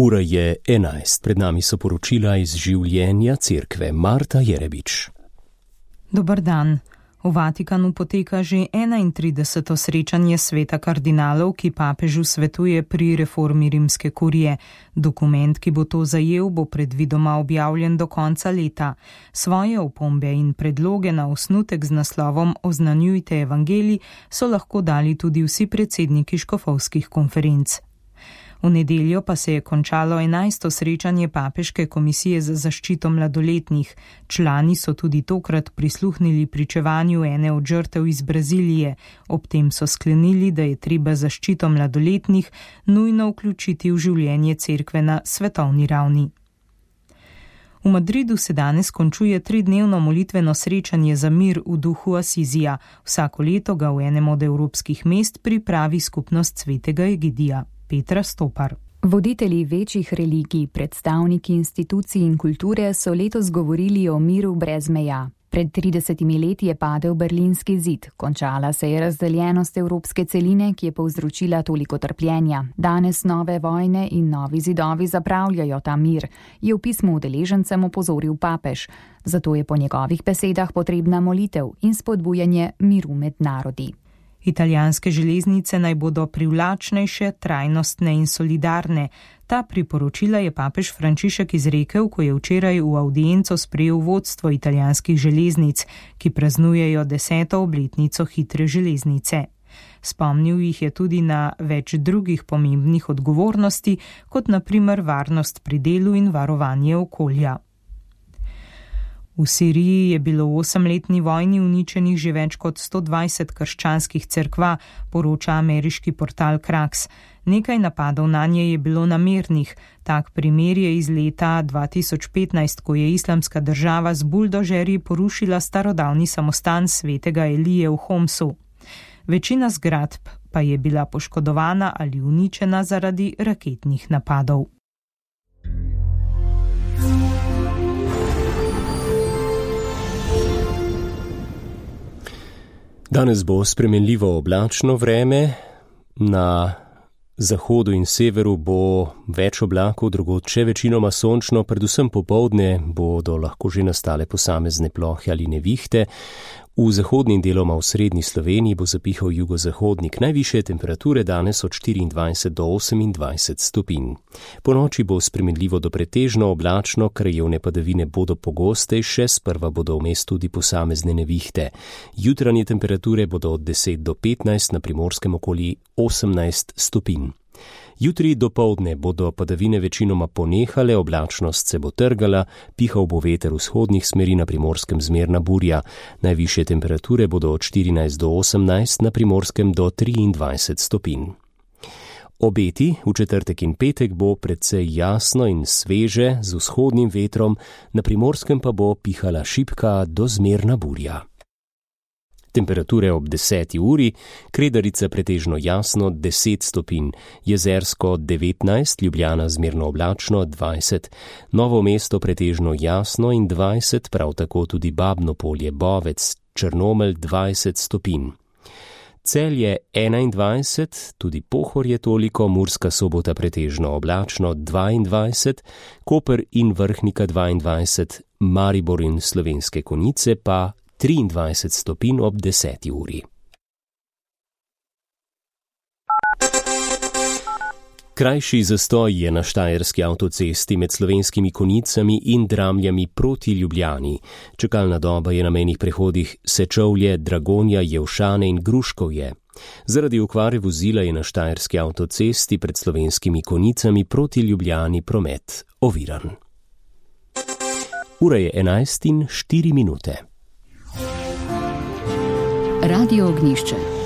Ura je 11. Pred nami so poročila iz življenja cerkve. Marta Jerebič. Dober dan. V Vatikanu poteka že 31. srečanje sveta kardinalov, ki papežu svetuje pri reformi rimske kurije. Dokument, ki bo to zajel, bo predvidoma objavljen do konca leta. Svoje opombe in predloge na osnutek z naslovom Oznanjujte evangelij so lahko dali tudi vsi predsedniki škofovskih konferenc. V nedeljo pa se je končalo 11. srečanje Papeške komisije za zaščito mladoletnih. Člani so tudi tokrat prisluhnili pričevanju ene od žrtev iz Brazilije. Ob tem so sklenili, da je treba zaščito mladoletnih nujno vključiti v življenje cerkve na svetovni ravni. V Madridu se danes končuje 3-dnevno molitveno srečanje za mir v duhu Asizija. Vsako leto ga v enem od evropskih mest pripravi skupnost svetega Egidija. Petra Stopar. Voditelji večjih religij, predstavniki institucij in kulture so letos govorili o miru brez meja. Pred 30 leti je padel berlinski zid, končala se je razdeljenost evropske celine, ki je povzročila toliko trpljenja. Danes nove vojne in novi zidovi zapravljajo ta mir, je v pismu udeležencem opozoril papež. Zato je po njegovih besedah potrebna molitev in spodbujanje miru med narodi. Italijanske železnice naj bodo privlačnejše, trajnostne in solidarne. Ta priporočila je papež Frančišek izrekel, ko je včeraj v avdienco sprejel vodstvo italijanskih železnic, ki praznujejo 10. obletnico hitre železnice. Spomnil jih je tudi na več drugih pomembnih odgovornosti, kot na primer varnost pri delu in varovanje okolja. V Siriji je bilo v 8-letni vojni uničenih že več kot 120 krščanskih cerkva, poroča ameriški portal Kraks. Nekaj napadov nanje je bilo namernih. Tak primer je iz leta 2015, ko je Islamska država z buldožerji porušila starodavni samostan svetega Elije v Homsu. Večina zgradb pa je bila poškodovana ali uničena zaradi raketnih napadov. Danes bo spremenljivo oblačno vreme, na zahodu in severu bo več oblakov, drugod še večinoma sončno, predvsem popoldne bodo lahko že nastale posamezne plohe ali nevihte. V zahodni in deloma v srednji Sloveniji bo zapihal jugozahodnik. Najvišje temperature danes od 24 do 28 stopinj. Po noči bo spremenljivo do pretežno oblačno, krajevne padavine bodo pogostejše, sprva bodo vmes tudi posamezne nevihte. Jutranje temperature bodo od 10 do 15, na Primorskem okoli 18 stopinj. Jutri dopoldne bodo padavine večinoma ponehale, oblačnost se bo trgala, pihal bo veter vzhodnih smeri, na Primorskem zmerna burja. Najvišje temperature bodo od 14 do 18, na Primorskem do 23 stopinj. Obeti v četrtek in petek bo precej jasno in sveže z vzhodnim vetrom, na Primorskem pa bo pihala šibka do zmerna burja. Temperature ob 10. uri, Kredarica pretežno jasno 10 stopinj, Jezersko 19, Ljubljana zmerno oblačno 20, Novo mesto pretežno jasno in 20, prav tako tudi Babno Polje, Bovec, Črnomelj 20 stopinj. Celje 21, tudi Pohorje toliko, Murska Sobota pretežno oblačno 22, Koper in Vrhnika 22, Maribor in Slovenske Konjice pa 23 stopinj ob 10. uri. Krajši zastoj je na štajerski avtocesti med Slovenskimi Konjicami in Dramljami proti Ljubljani. Čakalna doba je na mejnih prehodih Sečovlje, Dragonja, Jelšane in Gruškovje. Zaradi okvare vozila je na štajerski avtocesti pred Slovenskimi Konjicami proti Ljubljani promet oviran. Ura je 11:04. Radio Ognjišče.